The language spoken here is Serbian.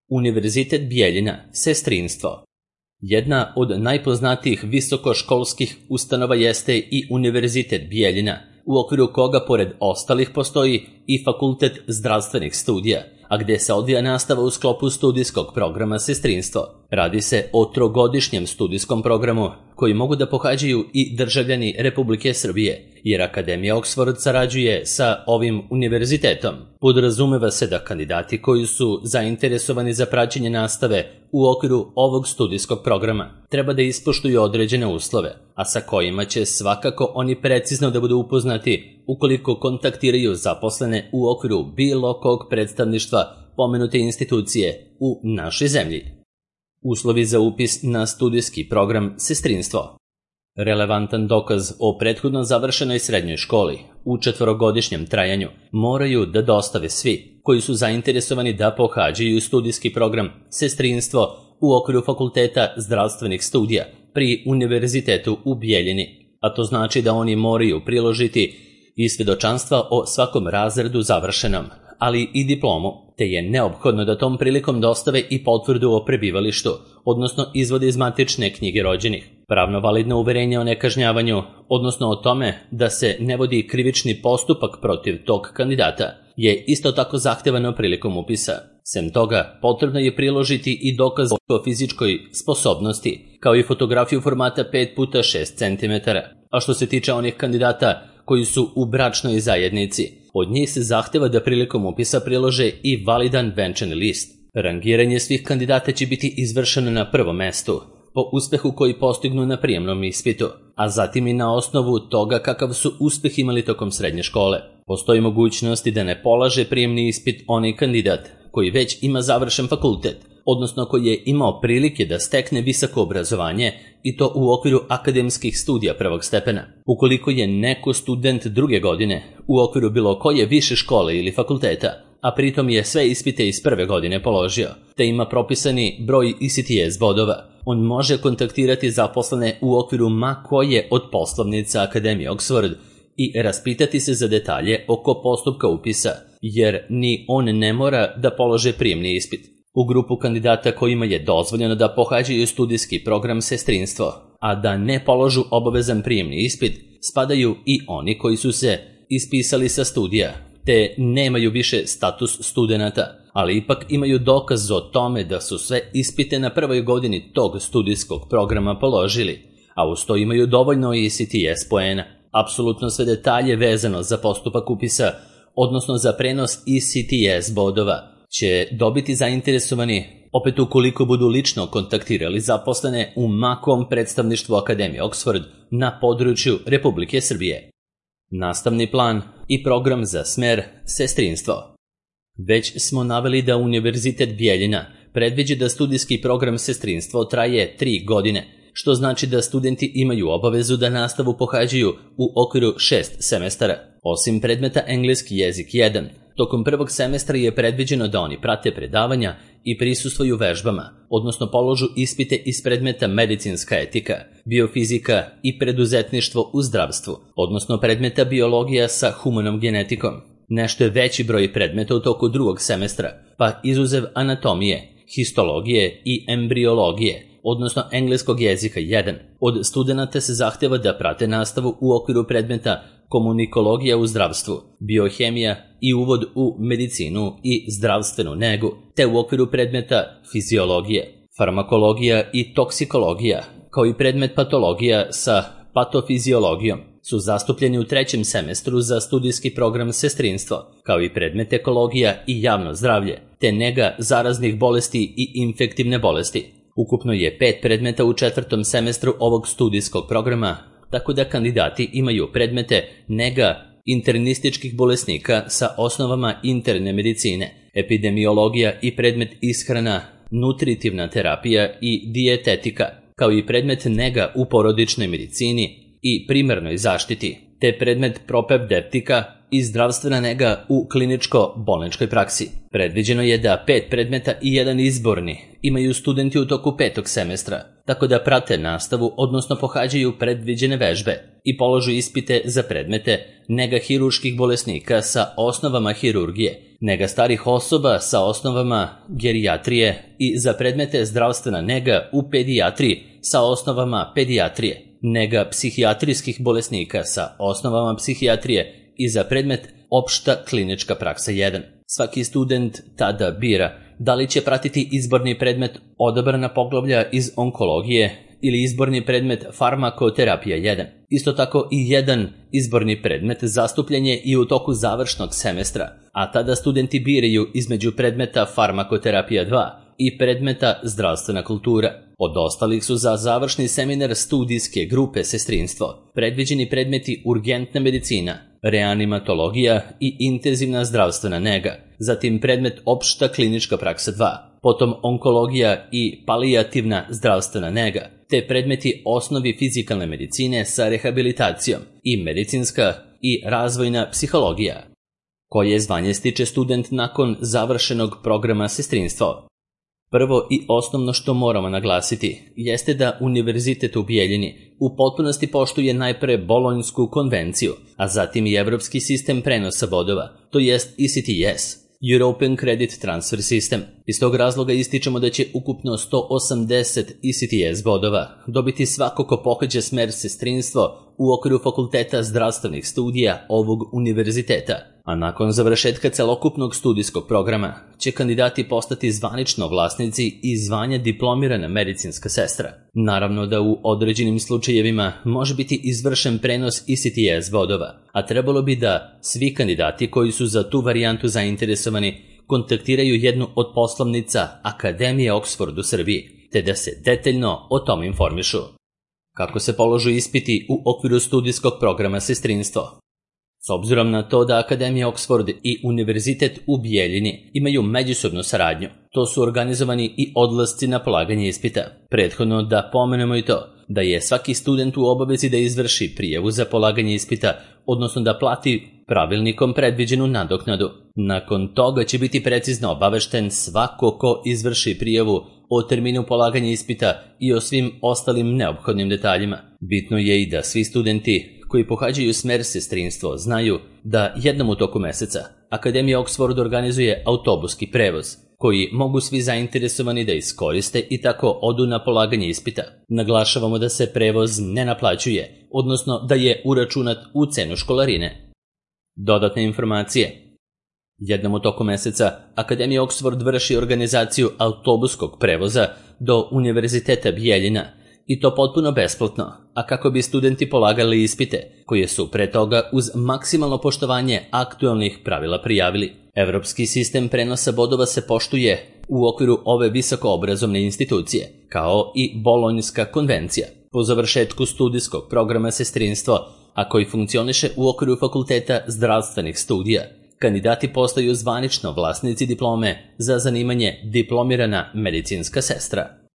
Univerzitet Bijeljina, sestrinstvo. Jedna od najpoznatijih visokoškolskih ustanova jeste i Univerzitet Bijeljina, u okviru koga pored ostalih postoji i Fakultet zdravstvenih studija, a gde se odvija nastava u sklopu studijskog programa sestrinstvo. Radi se o trogodišnjem studijskom programu koji mogu da pohađaju i državljani Republike Srbije, jer Akademija Oxford sarađuje sa ovim univerzitetom. Podrazumeva se da kandidati koji su zainteresovani za praćenje nastave u okviru ovog studijskog programa treba da ispoštuju određene uslove, a sa kojima će svakako oni precizno da budu upoznati ukoliko kontaktiraju zaposlene u okviru bilo kog predstavništva pomenute institucije u našoj zemlji. Uslovi za upis na studijski program sestrinstvo. Relevantan dokaz o prethodno završenoj srednjoj školi u 4-godišnjem trajanju moraju da dostave svi koji su zainteresovani da pohađaju studijski program sestrinstvo u okviru Fakulteta zdravstvenih studija pri Univerzitetu u Bijeljini, a to znači da oni moraju priložiti i svedočanstva o svakom razredu završenom, ali i diplomu, te je neophodno da tom prilikom dostave i potvrdu o prebivalištu, odnosno izvode iz matične knjige rođenih, pravno validno uverenje o nekažnjavanju, odnosno o tome da se ne vodi krivični postupak protiv tog kandidata, je isto tako zahtevano prilikom upisa. Sem toga, potrebno je priložiti i dokaz o fizičkoj sposobnosti, kao i fotografiju formata 5x6 cm. A što se tiče onih kandidata koji su u bračnoj zajednici, od njih se zahteva da prilikom upisa prilože i validan venčani list. Rangiranje svih kandidata će biti izvršeno na prvom mestu, po uspehu koji postignu na prijemnom ispitu, a zatim i na osnovu toga kakav su uspeh imali tokom srednje škole. Postoji mogućnosti da ne polaže prijemni ispit onaj kandidat koji već ima završen fakultet, odnosno koji je imao prilike da stekne visoko obrazovanje i to u okviru akademskih studija prvog stepena. Ukoliko je neko student druge godine u okviru bilo koje više škole ili fakulteta, a pritom je sve ispite iz prve godine položio, te ima propisani broj ECTS bodova, on može kontaktirati zaposlene u okviru ma koje od poslovnica Akademije Oxford i raspitati se za detalje oko postupka upisa, jer ni on ne mora da polože prijemni ispit. U grupu kandidata kojima je dozvoljeno da pohađaju studijski program sestrinstvo, a da ne položu obavezan prijemni ispit, spadaju i oni koji su se ispisali sa studija, te nemaju više status studenata, ali ipak imaju dokaz o tome da su sve ispite na prvoj godini tog studijskog programa položili, a uz to imaju dovoljno ECTS poena. Apsolutno sve detalje vezano za postupak upisa, odnosno za prenos ECTS bodova, će dobiti zainteresovani opet ukoliko budu lično kontaktirali zaposlene u makom predstavništvu Akademije Oxford na području Republike Srbije. Nastavni plan i program za smer sestrinstvo. Već smo naveli da Univerzitet Bijeljina predviđa da studijski program sestrinstvo traje 3 godine, što znači da studenti imaju obavezu da nastavu pohađaju u okviru 6 semestara. Osim predmeta engleski jezik 1, tokom prvog semestra je predviđeno da oni prate predavanja i prisustvuju vežbama, odnosno položu ispite iz predmeta medicinska etika, biofizika i preduzetništvo u zdravstvu, odnosno predmeta biologija sa humanom genetikom. Nešto je veći broj predmeta u toku drugog semestra, pa izuzev anatomije, histologije i embriologije, odnosno engleskog jezika 1. Od studenata se zahteva da prate nastavu u okviru predmeta komunikologija u zdravstvu, biohemija i uvod u medicinu i zdravstvenu negu, te u okviru predmeta fiziologije, farmakologija i toksikologija, kao i predmet patologija sa patofiziologijom, su zastupljeni u 3. semestru za studijski program sestrinstvo, kao i predmet ekologija i javno zdravlje, te nega zaraznih bolesti i infektivne bolesti. Ukupno je 5 predmeta u 4. semestru ovog studijskog programa, tako da kandidati imaju predmete nega internističkih bolesnika sa osnovama interne medicine, epidemiologija i predmet ishrana, nutritivna terapija i dijetetika, kao i predmet nega u porodičnoj medicini i primarnoj zaštiti, te predmet propedeutika i zdravstvena nega u kliničko-bolničkoj praksi. Predviđeno je da 5 predmeta i 1 izborni imaju studenti u toku 5. semestra, tako da prate nastavu, odnosno pohađaju predviđene vežbe i položu ispite za predmete nega hirurških bolesnika sa osnovama hirurgije, nega starih osoba sa osnovama gerijatrije i za predmete zdravstvena nega u pedijatriji sa osnovama pedijatrije, nega psihijatrijskih bolesnika sa osnovama psihijatrije i za predmet opšta klinička praksa 1. Svaki student tada bira da li će pratiti izborni predmet odabrana poglavlja iz onkologije ili izborni predmet farmakoterapija 1. Isto tako i jedan izborni predmet zastupljen je i u toku završnog semestra, a tada studenti biraju između predmeta farmakoterapija 2 i predmeta zdravstvena kultura. Od ostalih su za završni seminar studijske grupe sestrinstvo predviđeni predmeti urgentna medicina, reanimatologija i intenzivna zdravstvena nega, zatim predmet opšta klinička praksa 2, potom onkologija i palijativna zdravstvena nega, te predmeti osnovi fizikalne medicine sa rehabilitacijom i medicinska i razvojna psihologija. Koje zvanje stiče student nakon završenog programa sestrinstva? Prvo i osnovno što moramo naglasiti jeste da Univerzitet u Bijeljini u potpunosti poštuje najpre Bolonjsku konvenciju, a zatim i evropski sistem prenosa bodova, to jest ECTS, European Credit Transfer System. Iz tog razloga ističemo da će ukupno 180 ECTS bodova dobiti svako ko pohađa smer sestrinstvo u okviru Fakulteta zdravstvenih studija ovog univerziteta, a nakon završetka celokupnog studijskog programa će kandidati postati zvanično vlasnici i zvanja diplomirana medicinska sestra. Naravno da u određenim slučajevima može biti izvršen prenos ECTS bodova, a trebalo bi da svi kandidati koji su za tu varijantu zainteresovani kontaktiraju jednu od poslovnica Akademije Oxford u Srbiji, te da se detaljno o tome informišu. Kako se položu ispiti u okviru studijskog programa sestrinstvo? S obzirom na to da Akademija Oxford i Univerzitet u Bijeljini imaju međusobnu saradnju, to su organizovani i odlasci na polaganje ispita. Prethodno da pomenemo i to da je svaki student u obavezi da izvrši prijavu za polaganje ispita, odnosno da plati pravilnikom predviđenu nadoknadu. Nakon toga će biti precizno obavešten svako ko izvrši prijavu o terminu polaganja ispita i o svim ostalim neophodnim detaljima. Bitno je i da svi studenti koji pohađaju smer sestrinstvo znaju da jednom u toku meseca Akademija Oxford organizuje autobuski prevoz, koji mogu svi zainteresovani da iskoriste i tako odu na polaganje ispita. Naglašavamo da se prevoz ne naplaćuje, odnosno da je uračunat u cenu školarine. Dodatne informacije. Jednom u toku meseca Akademija Oxford vrši organizaciju autobuskog prevoza do Univerziteta Bijeljina, i to potpuno besplatno, a kako bi studenti polagali ispite, koje su pre toga uz maksimalno poštovanje aktualnih pravila prijavili. Evropski sistem prenosa bodova se poštuje u okviru ove visokoobrazovne institucije, kao i Bolonjska konvencija. Po završetku studijskog programa sestrinstvo, a koji funkcioniše u okviru Fakulteta zdravstvenih studija, kandidati postaju zvanično vlasnici diplome za zanimanje diplomirana medicinska sestra.